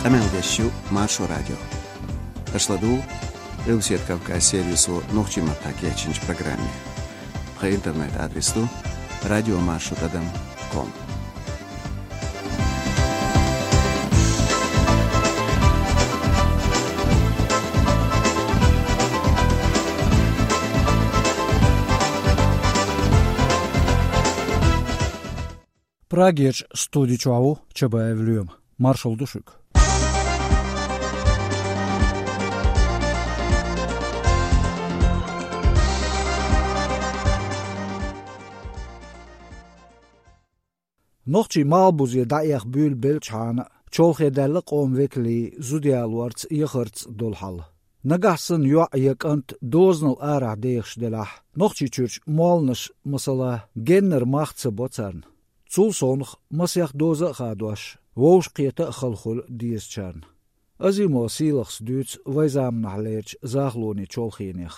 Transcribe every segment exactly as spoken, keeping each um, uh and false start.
Къамел деш ю Маршо радио. Аша ладугӀу Къилбаседа Кавказ сервисо нохчийн маттахь кечйинчу программе. Тхан интернет-адрес ду радиомаршо тӀадам ком. Прагерчу студи чохь ву Чабаев Лоьма. Маршалла ду шуьга. Нохчийн малхбузе дӀаэха буьйлабеллачхьана, чолхе даьлла къоман векалийн зуда ялорца, яхарца долу хьал. Нагахь санна йоӀ я кӀант дозанал арахь дехаш делахь, Нохчийчуьрчу молханаш, масала, геннара мах ца бо царна. Цул совнаха масех доза а хадош, вовшахкхета а хала хуьлу дезачарна. Азимова Сийлахас дуьйцу вайн заманахьлерчу захалонийн чолхенех.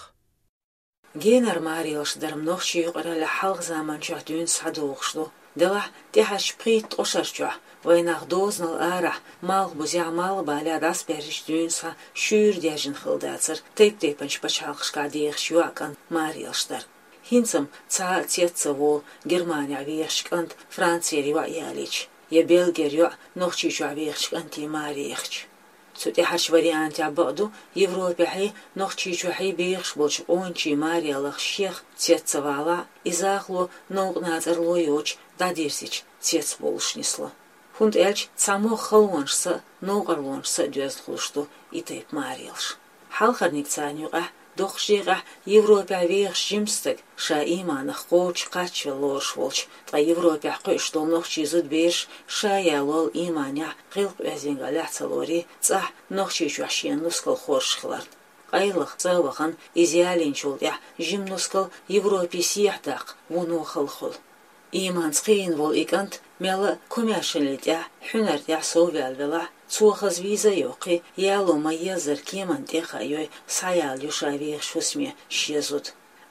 Генара маралш даран нохчийн юкъараллехь хьалха заманчохь дуьйна схьадогӀуш ду. Делахь, тӀаьхьарчу пхийтта-ткъа шарчохь, вайнах дозанал арахь, малхбузехь, малхбалехь дӀасабаьржича дуьйна схьа шуьйра даьржина хилла дацара тайп-тайпанчу пачхьалкхашкахь дехаш йоӀ-кӀант маралш дар. ХӀинца-м цхьа а цец ца волу Германехь вехачу кӀанта Францера йоӀ ялийча, я Бельгера йоӀ Нохчийчохь вехачу кӀантийн маре яхча. Цу тӀаьхьарчу вариантехь бакъду, Европехьий, Нохчийчохьий бехаш болчу къоначийн мараллех шех цец ца валахь, и захало новкъа нацӀарло йоцуш дӀадирзича цец болуш нисло. ХӀунда аьлча цхьамогӀа халонашца а, новкъарлонашца а доьзна хуьлуш ду и тайпа маралш. Хьалхарниг царна юкъахь, доккхачу декъехь Европехь вехаш жима стаг, ша ийманах кхочуш кхаччавелла лоруш волчу, ткъа Европехь кхуьуш долу нохчийн зудабераш ша ялол ийманехь, гӀиллакх-оьздангаллехь ялоре, цӀахь Нохчийчохь шен нускал хоржуш хиларна. Къайлаха цӀа а вахана, иза ялийначул тӀаьхьа жима нускал Европе сехьадаккха вуно хала хуьлу. Ийманца кхиийна волу и кӀант мелла а комаьршаллин тӀехь, хьуьнар тӀехь совваьлла велахь, цо хаза виза а йоккхий, яло ма-еззара кеманна тӀе а хаайой, схьаяла ю ша вехаш хӀусаме шен зуда.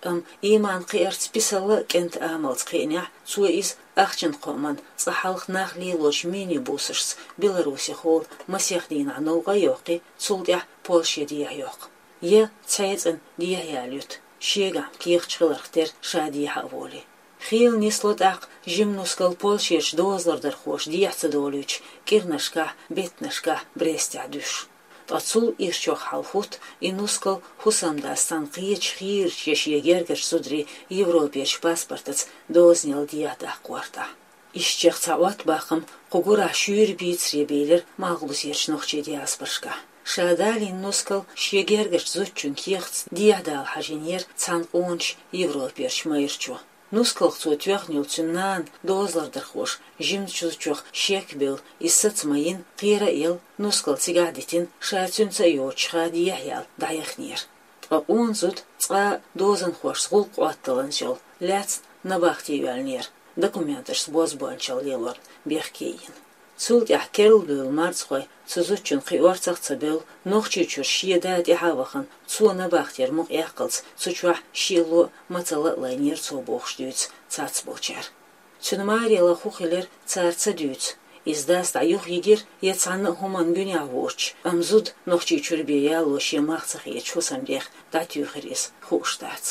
Амма ийман кхиарца писалла а кӀентан амалца кхиънехь, цо иза ахчанан кхоаман, цкъа хьалха нах лелочу мини-бусашца Беларусехула масех дийнахь новкъа а йоккхий, цул тӀаьхьа Польше дехьа йоккху. Я цхьаьна дехьа яла юьту, шегахь кехаташ хиларх тера ша дехьа а волий. Хийла нисло тӀаккха жима нускал Польшерчу дозалардархоша дехьа ца долуьйтуш, кӀирнашкахь, беттанашкахь Брестехь дуьсуш. Ткъа цул ирчох хьал хӀутту и нускал хӀусамдас цхьана кхечу хийрачу я шен гергарчу зударийн Европерчу паспортаца дозанал дехьа даккха гӀортахь. Ишттачех цхьа Ӏоттабахам кху гурахь шуьйра бийцаре бийлира малхбузерчу нохчийн диаспорашкахь. Ша далийна нускал шен гергарчу зудчун кехатца дехьа дала хьажийнера цхьана къоначу Европерчу майрачо. Нускалх цо тоьхна йолу цуьнан нана дозалардархоша жимачу зудчух шек а бевлла, иза саца ма йина, кхера а елла, нускал цигахь а дитина, ша цуьнца а йоцуш ха дехьа яла дӀаяхнера. Ткъа къона зуда цкъа а дозанхошца гӀуллакх Ӏотталланца йолу лаьцна набахте йоьллинера, документашца бозбуунчалла лелорна бехке а йина. Цул тӀаьхьа керла бевлла марзхой цу зудчун кхин орцах а ца бевлла, Нохчийчуьра шен да тӀаьхьа а вахана, цо набахтера мукъаяккхалц цу чохь шен ло а, мацалла а лайнера цо бохуш дуьйцу цецболчара. Цуьнан маралла хӀун хилира, цара ца дуьйцу. Иза дас дӀа юхайигира я цхьанна а хӀуманна гуьнехь воцуш, амма зуда Нохчийчуьра бен яло шен мах ца хеташ хӀусамдех дӀатуьйхира иза, хууш дац.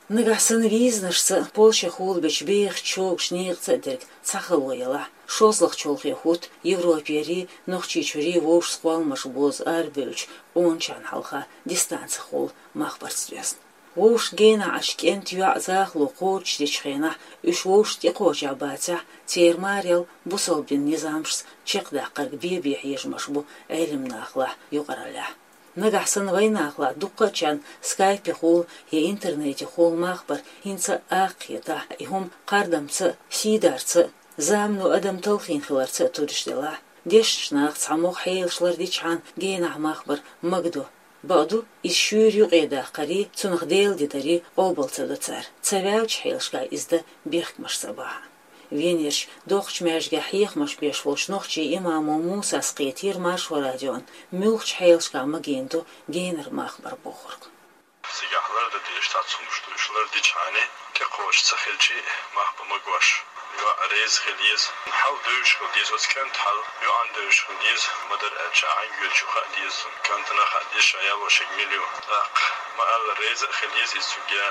Нагахь санна визанашца Польшехула бечу бехачу чогаша некъаца а дерг цхьа хало ялахь, шолгӀа чолхе хӀутту Европерий, Нохчийчуьрий вовшашца кхолламаш бозу арабевллачу къоначарна хьалха дистанцехула мах барца доьзна. Вовшашна генахь Ӏаш кӀентан йоӀ, захало кхочушдечу хенахь уьш вовшашна тӀекхочехь бацахь, церан маралла бусалба динан низамашца чекхдаккхарг бен-бен хьежамаш бу Ӏеламнахалахь, юкъараллехь. Нагахь санна вайнахалахь дуккхачарна скайпехула я интернетехула мах бар хӀинца а акха хетахь, и хӀума кхардамца а, сийдарца а, замано адам талхийна хиларца а туриш делахь, дешначу наха цхьамогӀа хьелаш лардичхьана генахь мах бар магадо. Бакъду, иза шуьйра юкъедаккхарий, цунах Делан де дарий къобал ца до цара, ца ваьллачу хьелашкахь иза дан бехкамаш ца бахьа. Венерчу доккхачу маьждигехь хьехамаш беш волчу нохчийн имамо Мусас кхетийра Маршо радиона, муьлххачу хьелашкахь магийна ду генара мах бар бохург. Цигахь лардан дезаш цхьацца хӀумнаш ду, уьш лардичхьана, тӀекхочуш ца хилча а, мах бан магош. ЙоӀ реза хила еза, хьал девзаш хила деза, оцу кӀанта хьал йоӀана девзаш хила деза, ма-дарра аьлча, хьан йоьдучу хаа деза, кӀантана хаа деза, ша ял вошиг мила ю. ТӀаккха ма аьлла, реза а хила еза иза цуьнга,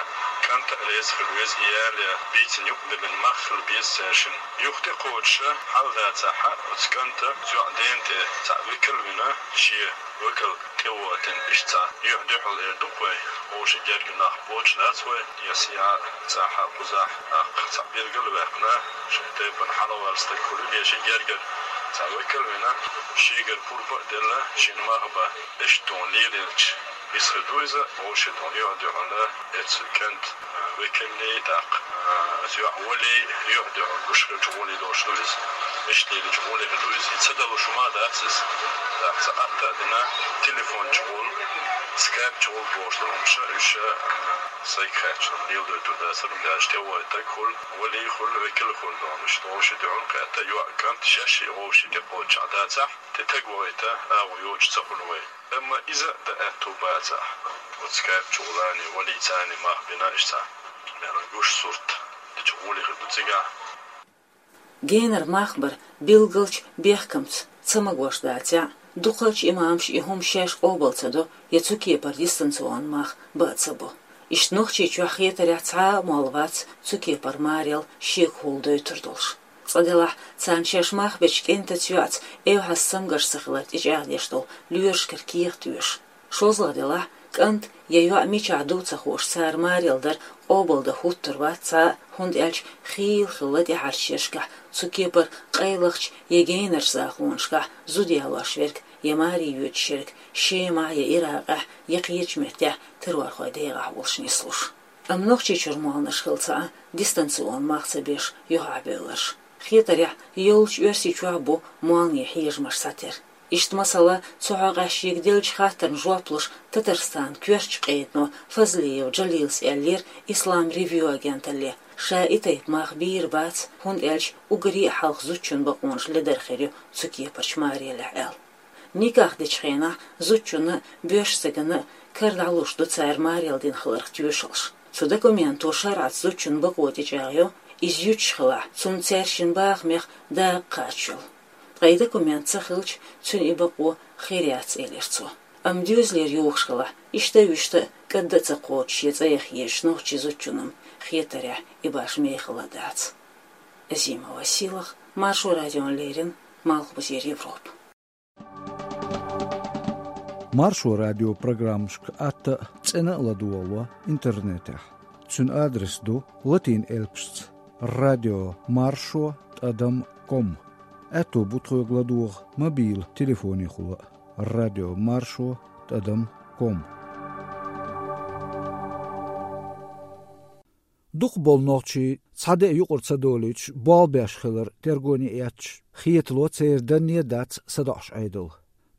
кӀанта а реза хила веза, и ял я бийцина юкъа диллина мах хила беза цаьршинна. Юха тӀекхочуш хьал дацахь, оцу кӀанта оцу йоӀа дена тӀе цхьаъ векал а вина, шен векал тӀе а воттина, иштта цхьа юьхь-дуьхьал эр ду-кх вай, вовшийн герга нах боцуш дац вай, я сехьа, цӀахьа, кхузахь, тӀаккха цхьа билгал а ваьккхина, шайн тайпана хьалаваьлла стаг хуьлийла, я шен гергара цхьа векал а вина, шегара пурба а делла, шена мах бан, иштта тхуна лелаелча, иза хир ду иза, вовшийн тхуна юьхь-дуьхьал, эцу кӀанта, а, векаллий, тӀаккха, а, оцу йоӀа валлий, юьхь-дуьхьал гуш хилча гӀоле долуш ду иза. Иштта лелача гӀоле хир ду иза. И ца далуш хӀума дац иза. ТӀаккха цхьа атта а дина, телефон чу гӀолла, скайп чу гӀолла бохуш долу хӀумнаш, уьш, а, сайга хаьттича леладойтур дацара, хӀунда аьлча тӀе вогӀу стаг хуьлу, валлий хуьлу, векал а хуьлу, дона иштта вовшийн дуьхьал кхетта, йоӀ, кӀант шаьш а вовшийн тӀекхочуш дацахь, тӀе стаг вахийта агӀо йоцуш ца хуьлу вай. Амма иза а дан аьтту бацахь, оцу скайп чу гӀолланий, валлий царний мах бина, иштта цхьа мел гуш сурт дечу гӀоле хир ду цигахь. Генара мах бар билгалчу бехкамца ца магош дацахь, дукхачу имамаша и хӀума шаьш къобал ца до, я цу кепара дистанционни мах бан а ца бо. Иштта Нохчийчохь хетарехь цхьа а молла вац цу кепара марел шега хӀулла дойтур долуш. Цкъа делахь, царна шаьш мах бечу кӀентаца йоӀца эвхьаза цамгарш ца хилар тӀечӀагӀдеш долу лоьрашкара кехат оьшу. ШолгӀа делахь, кӀант я йоӀ мичахь ду ца хууш, цара марел дар къобалдан хӀуттур вац цхьа а, хӀунда аьлча хийла хилла тӀаьхьарчу шерашкахь цу кепара къайлахчу я генарчу закъонашкахь зуда ялош верг я маре йоьдуш ерг Шемахь я Иракъехь я кхечу меттехь террорхойн дегӀахь волуш нислуш. Амма Нохчийчуьра молланаш хилла цхьа а дистанционни мах ца беш юьхьахь бевлларш. Хетарехь, йоллучу Оьрсийчохь бу молланийн хьежамаш схьатера. Иштта, масала, цу хьокъехь шега деллачу хаттарна жоп луш, Татарстанан коьртачу къедано Фазлиев Джалилас аьллера Ислам Ревью агенталле, ша и тайпа мах бийр бац, хӀунда аьлча уггаре а хьалха зудчун бакъонаш ледар хир ю цу кепарчу марелехь аьлла. Никах дечу хенахь зудчунна а, боьрша стаганна а кара дӀалуш ду цара марел дина хиларх тоьшаллаш. Цу документо шарӀаца зудчун бакъо тӀечӀагӀйо, иза юьтуш хилахь, цунна цаьршиннан бахамех дакъа кхача йолу. Ткъа и документ ца хилча, цуьнан и бакъо хир яц, элира цо. Амма доьзалера юхуш хилахь, иштта а вуьшта а кӀадда а ца кхочуш я цӀа яха езачу нохчийн зудчунна-м хетарехь и башха мехала а дац. Азима Василах, Маршо радиона леррина, Малхбузера Европа. Маршо радион программашка атта а, цӀена а ладогӀало интернетехь. Цуьнан адрес ду латин элпашца: радио маршо тӀадам ком. Аьтто бу тхоьга ладогӀа мобил телефонехула а: радио маршо тӀадам ком. Дукхахболу нохчий, цхьа де а юкъара ца долуьйтуш, болх беш хилар тергоне а эцча, хетало церан данне а дац садоӀуш Ӏедал.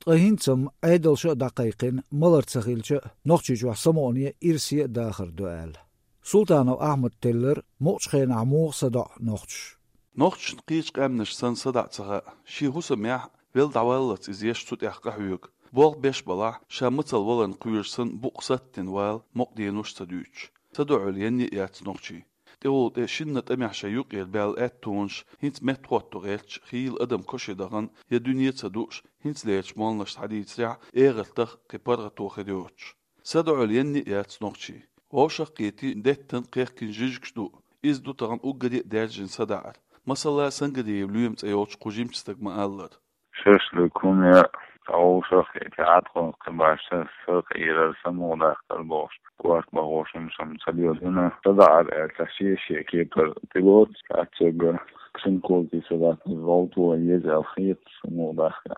Ткъа хӀинца-м Ӏедалша а дӀакхайкхина, малар ца хилча а, Нохчийчохь самукъане а, ирсе а дахар ду аьлла. Султанов Ахьмада теллира, мукъачу хенахь муха садоӀу нохчаша. Нохчашна кхечу къаьмнашна санна садаӀа ца хаьа, шен хӀусамехь а, велла дӀаваллалц иза еш цу тӀехь къахьоьгу. Болх беш балахь, ша мацалла валарна кхоьруш санна, букъ саттина вала, мукъа денош а ца дуьйцуш. СадоӀийла енна а яц нохчий. ТӀегӀолла тӀе шинна тӀамехь шайн юкъера баьлла аьттонаш, хӀинца меттахӀотто гӀерташ, хийла адам кошан дахана я дуьне ца дууш, хӀинцалерчу молланашца схьадийцарехь, эгӀартах а, кхин паргӀато хир йоцуш. СадоӀийла енна а яц нохчий. Вовшах а кхетий, деттан а, кхехкина жижигаш ду. Иза ду тахана уггаре а даьржина садаӀар. Масала, Сангариев Лоьма цӀе йолчу кху жимачу стага ма-аллара. Шашлык хӀума яа, цхьа вовшах а кхетий, Ӏаткъам кхин башха сакъерар, самукъадаккхар бохуш, корта бахош хӀумнаш-м ца леладина. СадаӀар аьлла, шен-шен кепара тӀелоцу, цхьаъ цуьнга шинкулти садаӀа, гӀовто еза аьлла хета, самукъадаккха.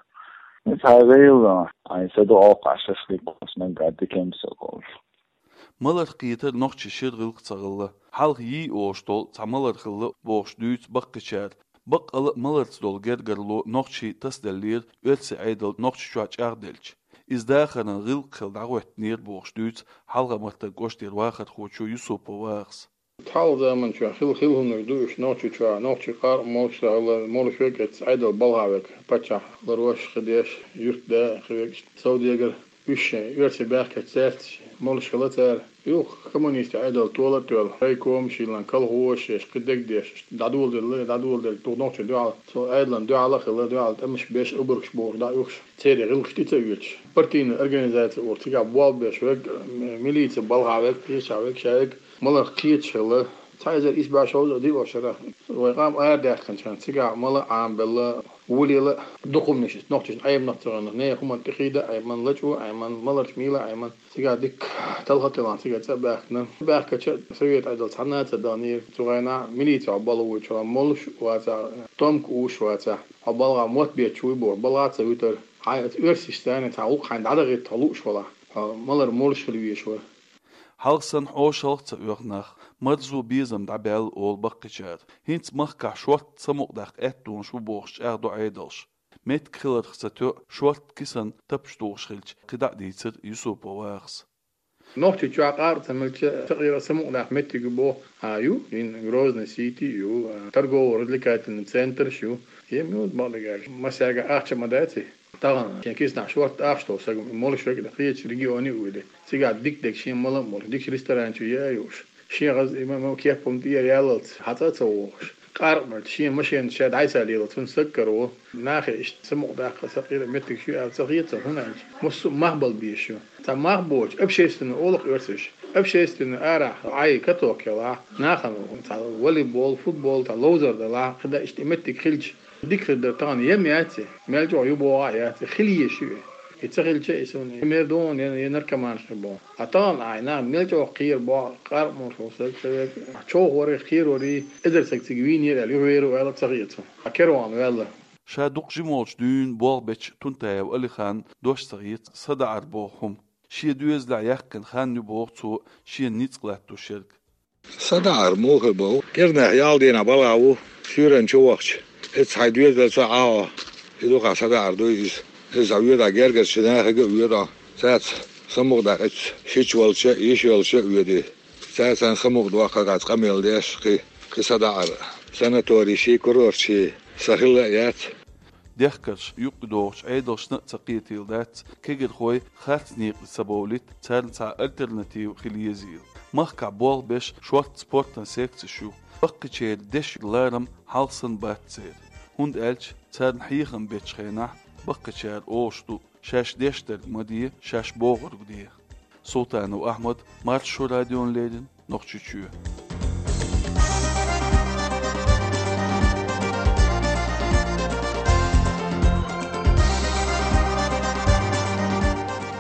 Цхьа гӀийла, ай, садоӀу-кх ахь шашлык бохуш, наггахь дика-м со бохуш. Маларх кхетар нохчийн шира гӀиллакх ца хилла. Хьалха йий олуш долу цхьа малар хилла бохуш дуьйцу баккхийчара. Баккъала а маларца долу гергарло нохчийн тасаделлера оьрсийн Ӏедал Нохчийчохь чӀагӀделча. Иза дахаран гӀиллакх хилла дӀахӀоьттинера бохуш дуьйцу Хьалха-Мартан кӀоштара вахархочо Юсупов Вахас. Хьалха заманчохь хилла, хилла хӀуманаш ду уьш Нохчийчохь, нохчийн къаркъа молуш ца хилла, молуш верг а эцна Ӏедал балхахь верг, паччахь ларъеш, хи деш, юьртда хи верг, совдегар, уьш шайн оьрсий баьхкачу цаьрца молуш хилла цара. Юха коммунистийн Ӏедал тола а тоьлла, райкомаш йиллина, колхозаш еш, кхы дегдеш, дӀадоладелла, дӀадоладелла, тух нохчийн дуьхьал, цу Ӏедалан дуьхьал а хилла, дуьхьал тӀемаш беш, обаргаш бохуш дӀа а юхаш, церан гӀиллакхаш тӀе ца оьцуш. Партийная организация олу, цигахь болх беш верг, м-, милице балхахь верг, кхечахь верг, ша верг, маларх кхеташ хилла. Цхьа эзар исс бӀе шовзткъе диъ шарахь вай къам арадаьккхинчу хенахь, цигахь мала а Ӏамабелла, волавелла а, дукха хӀуманаш, нохчашна Ӏеманах ца гӀоьнна, нехан хӀуманна тӀехийда а Ӏеман, лачкъо а Ӏеман, маларчу мийла а Ӏеман. Цигахь дикка талха а тиллина, цигара цӀа а баьхкина. Баьхкича, совет Ӏедал цхьанна а ца даханера, цу хенахь милице хьо балха вуьйча, хьо молуш а вацахь, томка уьйш а вацахь, хьо балхахь мотт бетташ вуй бохуш, балхахь а ца вуьтура. Хьайн оьрсашца цхьана цхьа гӀуллакх хьайна дӀадахийта хьо лууш валахь, хьо малар молуш хила везаш вара. Хьалха санна хьошалгӀа а ца оьху нах, марзо, безам дӀабаьлла олу баккхийчара. ХӀинца махкахь шортта самукъадаккха аьттонаш бу бохуш чӀагӀдо Ӏедалша. Меттиг хиларх ца тоьу, шортта кисана тапча тухуш хилча, кхидӀа а дийцира Юсупов Вахас. Нохчийчохь къаркъа ца мелча, цхьа кхера самукъадаккха меттиг ю боху, а, ю, хӀинца Грозный Сити ю, а, торгово-развлекательный центраш ю. Ем ю, бакъдерг аьлча, массаьрга ахча ма дац и. Тахана шен киснахь шортта ахча долу стаг, молуш верг а, кхечу регионе а вуьйлий, цигахь дика дерг шен мала а молуш, дикачу ресторан чу яа а юуш, шен хаза и ма-, ма-, кеп хӀума тӀера яллалц, хьан цӀа а ца вогӀуш, къаркъа мелча, шен машенаш ша дӀасалелалц, хӀунда стаг караво. Нахе иштта самукъадаккха, цхьа кхера меттигаш ю аьлла ца хета, хӀунда аьлча массо а мах бала безаш ю. Цхьа мах боцуш, общественный олу-кх оьрсаша, общественный арахь Ӏай каток ялахь, нахана цхьа волейбол, футбол, цхьа ловзар далахь, кхидӀа иштта и меттиг хилча, дика хир дара. Тахана ем яц и, мел чӀогӀа ю боху а яц и, хила езаш ю и. И ца хилча, и суна, и мер ду хьуна, я, я наркоманаш хир бу. Ткъа тахана ахь нах мел чӀогӀа кхера боху, къаркъа молуш волу стаг, ца верг, човхаварий, кхераварий, эзар стаг цига вийнера аьлла, юхавер ву аьлла ца хета суна. Ткъа кара вахана ваьлла. Ша дукха жима волчу дуьйна болх бечу Тунтаев Алихана дош ца хета садаӀар боху хӀума. Шен доьзалехь яьккхина хан ю боху цо шена ницкъ латтош ерг. СадаӀар муха бу? Кхернех ял дийнахь балхахь ву, суьйранна чу вахча, иза хьайн доьзалца Ӏа хьо. И дукха садаӀар дуй иза. Иза хьан воьдахь гергарчу нахе а воьду. Цаьрца самукъадаккха, шича волча а, йиша йолча а воьдий. Цаьрца самукъадоккхург, къамел деш, кхин, кхин садаӀар. Санаторийший, курортший сан хилла а яц. Дехкарш юкъадогӀучу Ӏедалшна а ца кхетийла дац, кегийрхой харц некъа ца бовлийта, царна цхьа альтернатива хила езийла. Махкахь болх беш шортта спортан секцеш ю. Баккхийчеран дешан ларам хьалха санна бац церан. ХӀунда аьлча царна хьехам бечу хенахь баккхийчара олуш ду, шаьш деш дерг ма де, шаьш бохург де. Султанов Ахьмад, Маршо радиона леррина, Нохчийчоь.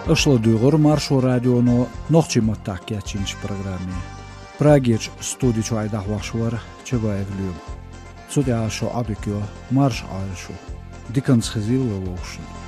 Аша ладуьйгӀура Маршо радионо нохчийн маттахь кечйинчу программе. Прагерчу студи чохь дӀахьош вара Чабаев Лоьма. Цу тӀехь шун Ӏодика йо, марша Ӏойла шу. Диканца хезийла вай вовшашна.